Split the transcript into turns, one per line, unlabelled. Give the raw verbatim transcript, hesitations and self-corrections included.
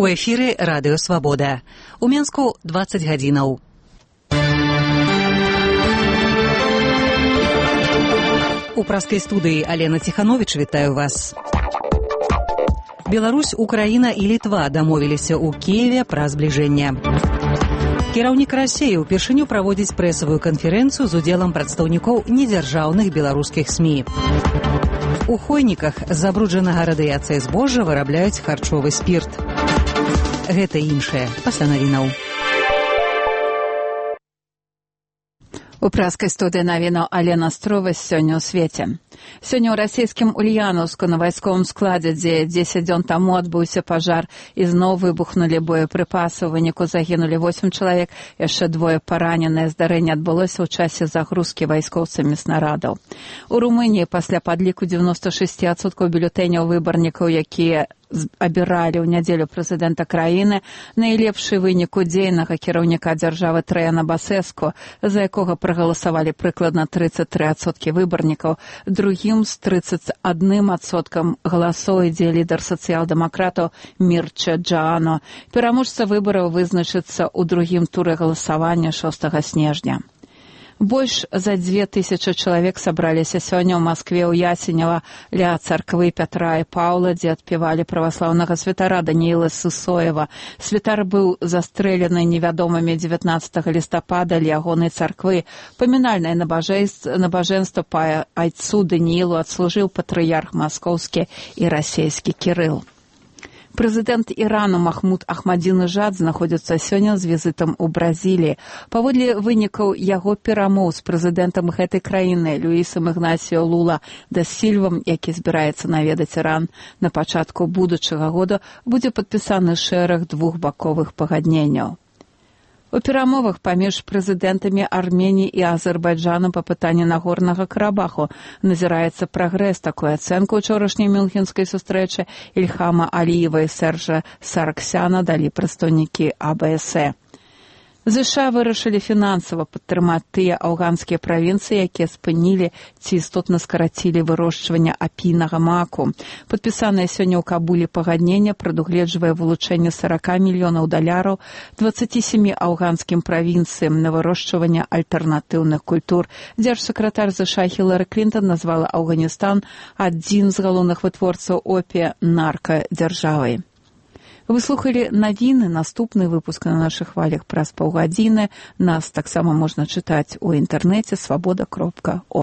У эфіры радыё Свабода. У Менску дваццаць гадзінаў. У праскай студыі Алена Ціхановіч вітаю вас. Беларусь, Украіна і Літва дамовіліся ў Кіеве пра збліжэнне. Кіраўнік Расіі ўпершыню праводзіць прэсавую канферэнцыю з удзелам прадстаўнікоў недзяржаўных беларускіх СМІ. У Хойніках з забруджанага радыяцыяй збожжа вырабляюць харчовы спірт. Гэта іншае пасля навінаў.
У праскай студыі навінаў Алена Строва сёння ў свеце. Сёння ў расійскім Ульянаўску на вайсковым складзе, дзе дзесяць дзён таму адбыўся пажар, ізноў выбухнулі боепрыпасы. У выніку загінулі восем чалавек, яшчэ двое параненыя. Здарэнне адбылося ў часе загрузкі вайскоўцамі снарадаў. У Румыніі пасля падліку дзевяноста шэсць адсоткаў бюлетэняў выбарнікаў, якія абіралі ў нядзелю прэзідэнта краіны, найлепшы вынік удзейнага кіраўніка дзяржавы Траяна Басэску, за якога прагаласавалі прыкладна трыццаць тры адсоткі выбарнікаў. Другім з трыццаць адным адсоткам галасоў ідзе лідар сацыял-дэмакратаў Мірча Джаано. Пераможца выбараў вызначыцца ў другім туры галасавання шостага снежня. Больш за дзве тысячы чалавек сабраліся сёння ў Маскве ў Ясенева ля царквы Пятра і Паўла, дзе адпявалі праваслаўнага святара Данііла Сысоева. Святар быў застрэлены невядомымі дзевятнаццатага лістапада ля ягонай царквы. Памінальнае набажэнства па айцу Даніілу адслужыў патрыярх маскоўскі і расейскі Кірыл. Прэзідэнт Ірану Махмуд Ахмадзінежад знаходзіцца сёння з візітам у Бразіліі. Паводле вынікаў яго перамоў з прэзідэнтам гэтай краіны Люісам Ігнасіо Лула да Сільвам, які збіраецца наведаць Іран на пачатку будучага года, будзе падпісаны шэраг двухбаковых пагадненняў. У перамовах паміж прэзідэнтамі Арменіі і Азербайджану па пытанні Нагорнага Карабаху назіраецца прагрэс. Такую ацэнку ўчорашняй мюнхенскай сустрэчы Ільхама Аліева і Сержа Сарксяна далі прадстаўнікі А Бэ Эс Э. ЗША вырашылі фінансава падтрымаць тыя афганскія правінцыі, якія спынілі ці істотна скарацілі вырошчванне апійнага маку. Падпісанае сёння ў Кабуле пагадненне прадугледжвае вылучэнне сорок мільёнаў даляраў дваццаці сямі афганскім правінцыям на вырошчванне альтэрнатыўных культур. Дзяржсакратар ЗША Хілары Клінтон назвала Афганістан адзін з галоўных вытворцаў опія наркадзяржавай. Вы слухалі навіны, наступны выпуск на нашых хвалях праз паўгадзіны. Нас таксама можна чытаць у інтэрнэце свабода кропка орг.